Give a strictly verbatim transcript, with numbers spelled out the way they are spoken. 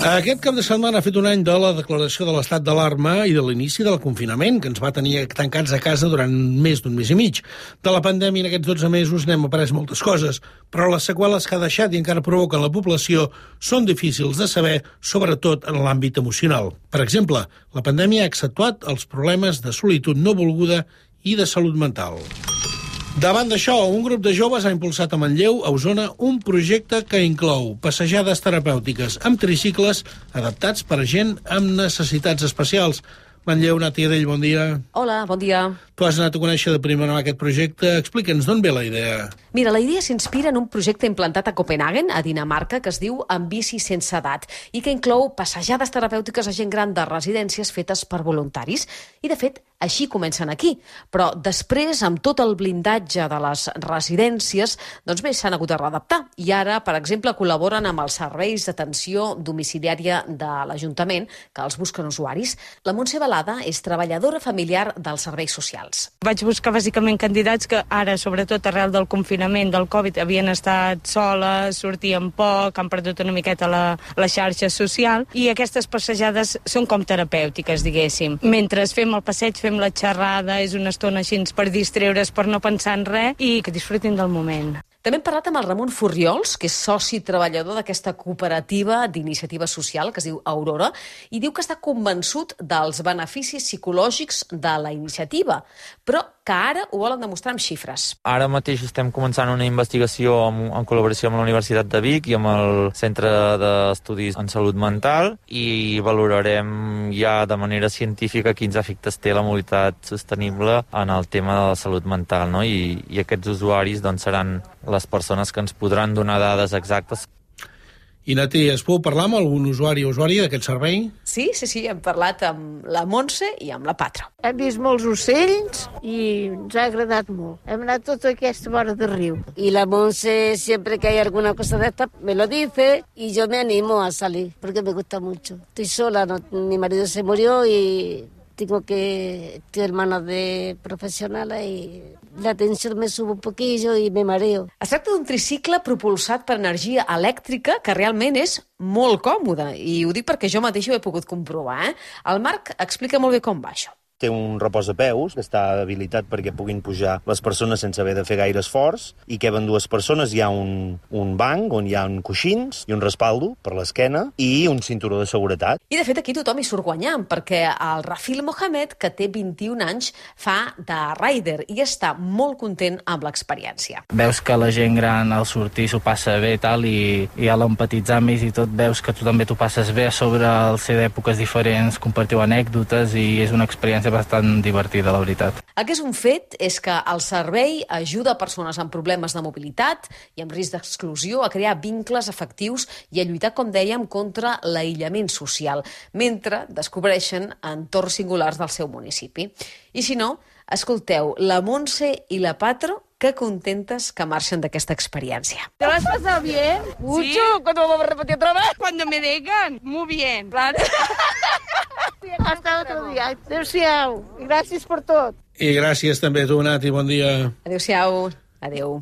Aquest cap de setmana ha fet un any de la declaració de l'estat d'alarma i de l'inici del confinament, que ens va tenir tancats a casa durant més d'un mes i mig. De la pandèmia en aquests dotze mesos n'hem après moltes coses, però les seqüeles que ha deixat i encara provoquen la població són difícils de saber, sobretot en l'àmbit emocional. Per exemple, la pandèmia ha accentuat els problemes de solitud no volguda i de salut mental. Davant d'això, un grup de joves ha impulsat a Manlleu, a Osona, un projecte que inclou passejades terapèutiques amb tricicles adaptats per a gent amb necessitats especials. Manlleu, Nati Adell, bon dia. Hola, bon dia. Tu has anat a conèixer de primera mà aquest projecte. Explica'ns d'on ve la idea. Mira, la idea s'inspira en un projecte implantat a Copenhagen, a Dinamarca, que es diu Amb bici sense edat i que inclou passejades terapèutiques a gent gran de residències fetes per voluntaris. I, de fet, així comencen aquí. Però després, amb tot el blindatge de les residències, doncs bé, s'han hagut de readaptar. I ara, per exemple, col·laboren amb els serveis d'atenció domiciliària de l'Ajuntament, que els busquen usuaris. La Montse Balada és treballadora familiar dels serveis socials. Vaig buscar bàsicament candidats que ara, sobretot arrel del confinament del Covid, havien estat soles, sortien poc, han perdut una miqueta la, la xarxa social, i aquestes passejades són com terapèutiques, diguéssim. Mentre fem el passeig, fem la xerrada, és una estona així per distreure's, per no pensar en res, i que disfrutin del moment. També hem parlat amb el Ramon Furriols, que és soci treballador d'aquesta cooperativa d'iniciativa social que es diu Aurora, i diu que està convençut dels beneficis psicològics de la iniciativa, però que ara ho volen demostrar amb xifres. Ara mateix estem començant una investigació en, en col·laboració amb la Universitat de Vic i amb el Centre d'Estudis en Salut Mental, i valorarem ja de manera científica quins efectes té la mobilitat sostenible en el tema de la salut mental, no? I, i aquests usuaris doncs, seran les persones que ens podran donar dades exactes. I, Nati, es pot parlar amb algun usuari o usuària d'aquest servei? Sí, sí, sí, hem parlat amb la Montse i amb la Patro. Hem vist molts ocells i ens ha agradat molt. Hem anat tota aquesta vora de riu. Y la Monse, siempre que hay alguna cosa de esta, me lo dice y yo me animo a salir, porque me gusta mucho. Estoy sola, no, mi marido se murió y tengo que estoy hermanos de profesionales y la tensión me sube un poquillo y me mareo. Es tracta d'un tricicle propulsat per energia elèctrica que realment és molt còmode, i ho dic perquè jo mateixa ho he pogut comprovar. Eh? El Marc explica molt bé com va això. Té un reposapeus que està habilitat perquè puguin pujar les persones sense haver de fer gaire esforç, i que en dues persones hi ha un, un banc on hi ha un coixins i un respaldo per l'esquena i un cinturó de seguretat. I de fet aquí tothom hi surt guanyant, perquè el Rafil Mohamed, que té vint-i-un anys, fa de rider i està molt content amb l'experiència. Veus que la gent gran al sortir s'ho passa bé i tal, i, i a l'empatitzar amb ells i tot veus que tu també t'ho passes bé a sobre el ser d'èpoques diferents, compartiu anècdotes, i és una experiència bastant divertida, la veritat. El que és un fet és que el servei ajuda persones amb problemes de mobilitat i amb risc d'exclusió a crear vincles afectius i a lluitar, com dèiem, contra l'aïllament social, mentre descobreixen entorns singulars del seu municipi. I si no, escolteu la Montse i la Patro, que contentes que marxen d'aquesta experiència. ¿Te lo has pasado bien? Mucho. ¿Sí? ¿Cuándo vamos a repetir otra vez? Cuando me digan, muy bien. Claro. Hasta otro día. Adéu-siau. I gràcies per tot. I gràcies també a tu, Nati, bon dia. Adéu-siau. Adéu.